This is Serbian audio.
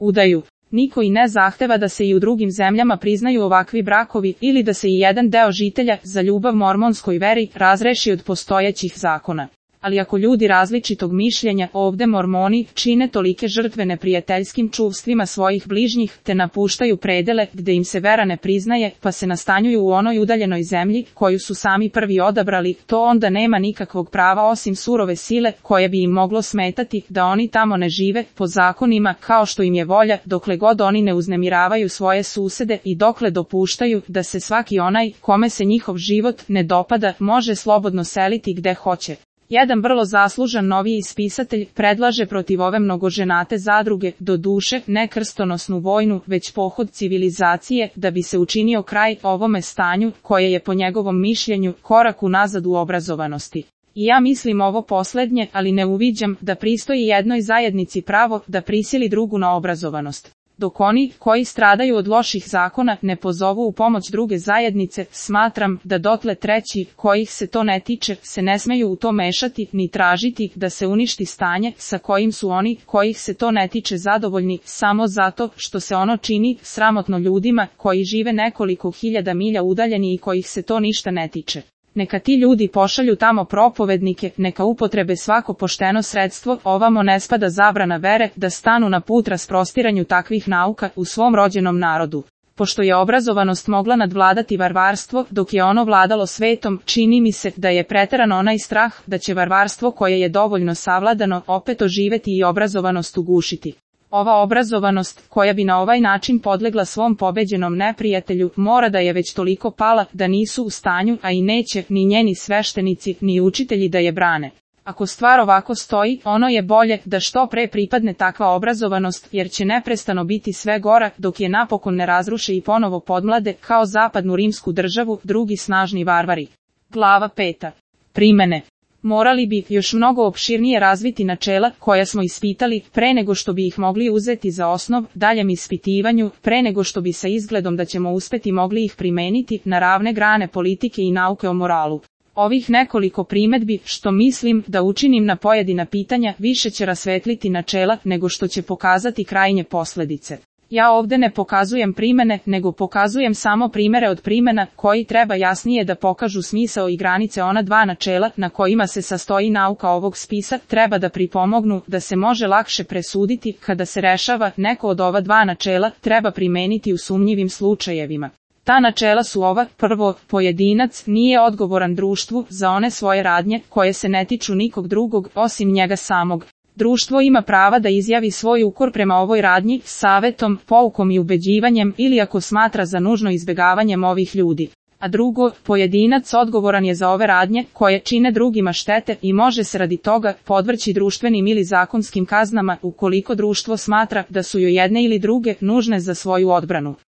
udaju. Niko i ne zahteva da se i u drugim zemljama priznaju ovakvi brakovi ili da se i jedan deo žitelja za ljubav mormonskoj veri razreši od postojećih zakona. Ali ako ljudi različitog mišljenja ovde mormoni čine tolike žrtve neprijateljskim čuvstvima svojih bližnjih, te napuštaju predele gde im se vera ne priznaje, pa se nastanjuju u onoj udaljenoj zemlji koju su sami prvi odabrali, to onda nema nikakvog prava osim surove sile koje bi im moglo smetati da oni tamo ne žive po zakonima kao što im je volja, dokle god oni ne uznemiravaju svoje susede i dokle dopuštaju da se svaki onaj kome se njihov život ne dopada može slobodno seliti gde hoće. Jedan vrlo zaslužan noviji spisatelj predlaže protiv ove mnogoženate zadruge, do duše, ne krstonosnu vojnu, već pohod civilizacije, da bi se učinio kraj ovome stanju, koje je po njegovom mišljenju korak unazad u obrazovanosti. I ja mislim ovo poslednje, ali ne uviđam da pristoji jednoj zajednici pravo da prisili drugu na obrazovanost. Dok oni, koji stradaju od loših zakona, ne pozovu u pomoć druge zajednice, smatram da dotle treći, kojih se to ne tiče, se ne smeju u to mešati, ni tražiti da se uništi stanje sa kojim su oni, kojih se to ne tiče, zadovoljni, samo zato što se ono čini sramotno ljudima koji žive nekoliko hiljada milja udaljeni i kojih se to ništa ne tiče. Neka ti ljudi pošalju tamo propovednike, neka upotrebe svako pošteno sredstvo, ovamo ne spada zabrana vere, da stanu na put rasprostiranju takvih nauka u svom rođenom narodu. Pošto je obrazovanost mogla nadvladati varvarstvo, dok je ono vladalo svetom, čini mi se da je preteran onaj strah da će varvarstvo koje je dovoljno savladano opet oživeti i obrazovanost ugušiti. Ova obrazovanost, koja bi na ovaj način podlegla svom pobeđenom neprijatelju, mora da je već toliko pala da nisu u stanju, a i neće, ni njeni sveštenici, ni učitelji da je brane. Ako stvar ovako stoji, ono je bolje da što pre pripadne takva obrazovanost, jer će neprestano biti sve gora, dok je napokon ne razruše i ponovo podmlade, kao zapadnu rimsku državu, drugi snažni varvari. Glava 5. Primene. Morali bi još mnogo opširnije razviti načela koja smo ispitali pre nego što bi ih mogli uzeti za osnov daljem ispitivanju, pre nego što bi sa izgledom da ćemo uspeti mogli ih primeniti na ravne grane politike i nauke o moralu. Ovih nekoliko primedbi, što mislim da učinim na pojedina pitanja, više će rasvetliti načela nego što će pokazati krajnje posledice. Ja ovde ne pokazujem primene, nego pokazujem samo primere od primena, koji treba jasnije da pokažu smisao i granice ona dva načela na kojima se sastoji nauka ovog spisa, treba da pripomognu da se može lakše presuditi kada se rešava neko od ova dva načela, treba primeniti u sumnjivim slučajevima. Ta načela su ova: prvo, pojedinac nije odgovoran društvu za one svoje radnje koje se ne tiču nikog drugog osim njega samog. Društvo ima prava da izjavi svoj ukor prema ovoj radnji savetom, poukom i ubeđivanjem ili ako smatra za nužno izbegavanjem ovih ljudi. A drugo, pojedinac odgovoran je za ove radnje koje čine drugima štete i može se radi toga podvrći društvenim ili zakonskim kaznama ukoliko društvo smatra da su joj jedne ili druge nužne za svoju odbranu.